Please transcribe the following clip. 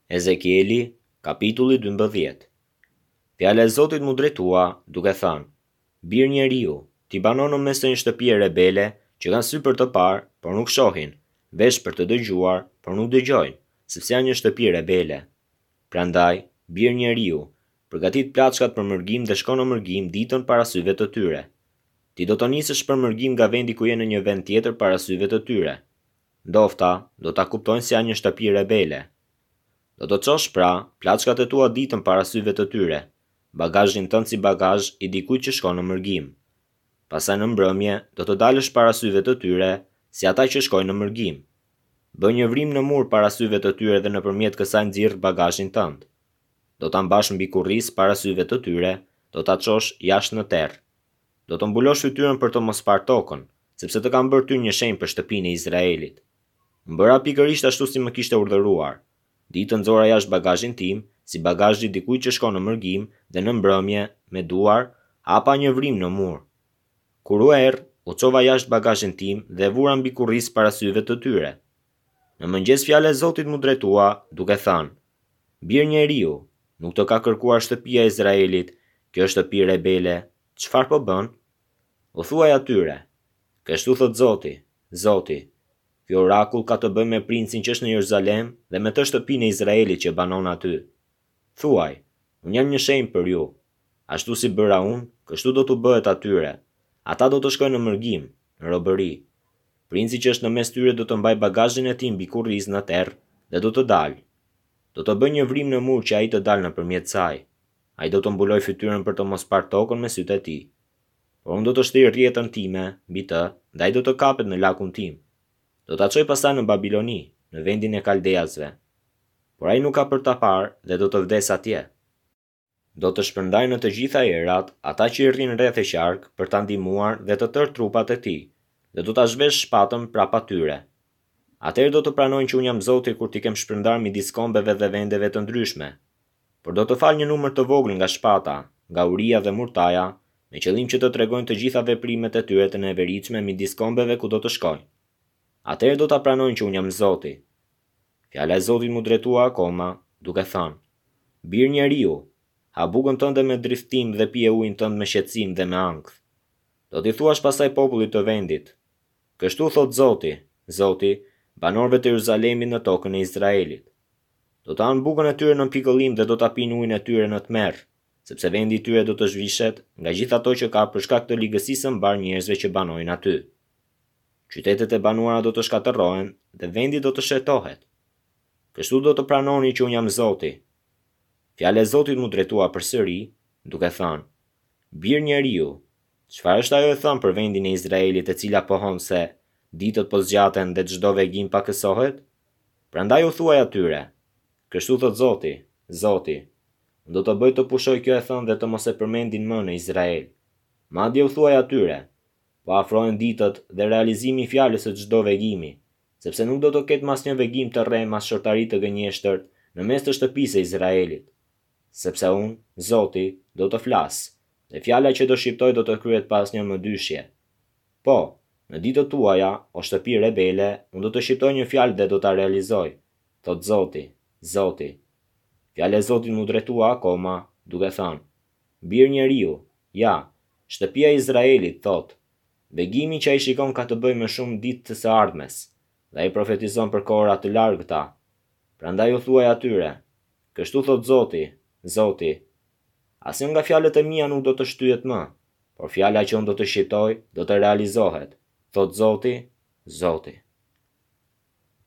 Ezekieli, kapitulli 12 Fjala e Zotit m'u drejtua, duke thënë, Bir njeriu, ti banon në mes të një shtëpie rebele, që kanë sy për të parë, por nuk shohin, vesh për të dëgjuar, por nuk dëgjojnë, sepse janë një shtëpi rebele. Prandaj, bir njeriu, përgatit plaçkat për mërgim dhe shko në mërgim ditën para syve të tyre. Ti do të nisësh për mërgim nga vendi ku je në një vend tjetër para syve të tyre. Ndofta, do ta kuptojnë se janë një shtëpi rebele. Do të çosh, pra, plaçkat e tua ditën para syve të tyre, bagazhin tënd si bagazh i dikujt që shkon në mërgim. Pastaj në mbrëmje, do të dalësh para syve të tyre, si ata që shkojnë në mërgim. Bëj një vrimë në mur para syve të tyre dhe nëpërmjet kësaj nxirr bagazhin tënd. Do ta mbash mbi kurriz para syve të tyre, do ta çosh jashtë në terr. Do të mbulosh fytyrën për të mos parë tokën, sepse të kam bërë ty një shenjë për shtëpinë e Izraelit. Unë bëra pikërisht ashtu si më kishte urdhëruar. Ditën nxora jashtë bagazhin tim, si bagazhi i dikujt që shkon në mërgim dhe në mbrëmje, me duar, hapa një vrimë në mur. Kur u err, u çova jashtë bagazhin tim dhe e vura mbi kurriz para syve të tyre. Në mëngjes fjala e Zotit m'u drejtua, duke thënë, Bir njeriu, nuk të ka kërkuar shtëpia e Izraelit, kjo shtëpi rebele, çfarë po bën? U thuaj atyre, Kështu thotë Zoti, Zoti, ky orakull ka të bëjë me princin që është në Jeruzalem dhe me tërë shtëpinë e Izraelit që banon aty. Thuaj, Unë jam një shenjë për ju. Ashtu si bëra unë, kështu do t'u bëhet atyre. Ata do të shkojnë në mërgim, në robëri. Princi që është në mes tyre do të mbajë bagazhin e tij mbi kurriz në terr dhe do të dalë. Do të bëj një vrimë në mur që ai të dalë nëpërmjet saj. Ai do të mbulojë fytyrën për të mos parë tokën me sytë e tij. Por unë do të shtrij rrjetën time mbi të dhe ai do të kapet në lakun tim. Do ta çoj pastaj në Babiloni, në vendin e kaldeasve. Por ai nuk ka për ta parë dhe do të vdesë atje. Do të shpërndaj në të gjitha erat ata që i rrinë rreth e qark për ta ndihmuar dhe të tërë trupat e tij, dhe do ta zhvesh shpatën prapa tyre. Atëherë do të pranojnë që unë jam Zoti kur t'i kem shpërndarë midis kombeve dhe vendeve të ndryshme. Por do të fal një numër të vogël nga shpata, nga uria dhe murtaja, me qëllim që të tregojnë të gjitha veprimet e tyre të neveritshme midis kombeve ku do të shkojnë. Atëherë do ta pranojnë që unë jam Zoti. Fjala e Zotit m'u drejtua akoma, duke thënë, Bir njeriu, ha bukën tënde me drithëtim dhe pije ujin tënd me shqetësim dhe me ankth. Do t'i thuash pastaj popullit të vendit, Kështu thotë Zoti, Zoti, banorëve të Jeruzalemit në tokën e Izraelit. Do të hanë bukën e tyre në pikëllim dhe do ta pinë ujin e tyre në tmerr, sepse vendi i tyre do të zhvishet nga gjithë ato që ka për shkak të ligësisë së mbarë njerëzve që banojnë aty. Qytetet e banuara do të shkatërrohen dhe vendi do të shkretohet. Kështu do të pranoni që unë jam Zoti. Fjala e Zotit m'u drejtua përsëri, duke thënë, Bir njeriu, çfarë është ajo e thënë për vendin e Izraelit e cila pohon se, ditët po zgjaten dhe çdo vegim pakësohet? Prandaj u thuaj atyre, Kështu thotë Zoti, Zoti, unë do të bëj të pushojë kjo e thënë dhe të mos e përmendin më në Izrael. Madje u thuaj atyre, Po afrohen ditët dhe realizimi i fjalës së çdo vegimi, sepse nuk do të ketë më asnjë vegim të rremë as shortari të gënjeshtërt në mes të shtëpisë së Izraelit. Sepse unë, Zoti, do të flas, dhe fjala që do shqiptoj do të kryhet pa asnjë mëdyshje. Po, në ditët tuaja, o shtëpi rebele, unë do të shqiptoj një fjalë dhe do ta realizoj, thotë Zoti, Zoti. Fjala e Zotit m'u drejtua akoma, duke thënë, Bir njeriu, ja, shtëpia e Izraelit thotë, Vegimi që ai shikon ka të bëjë me shumë ditë të së ardhmes, dhe ai profetizon për kohëra të largëta. Prandaj u thuaj atyre, Kështu thotë Zoti, Zoti, Asnjë nga fjalët e mia nuk do të shtyhet më, por fjala që unë do të shqiptoj do të realizohet, thotë Zoti, Zoti.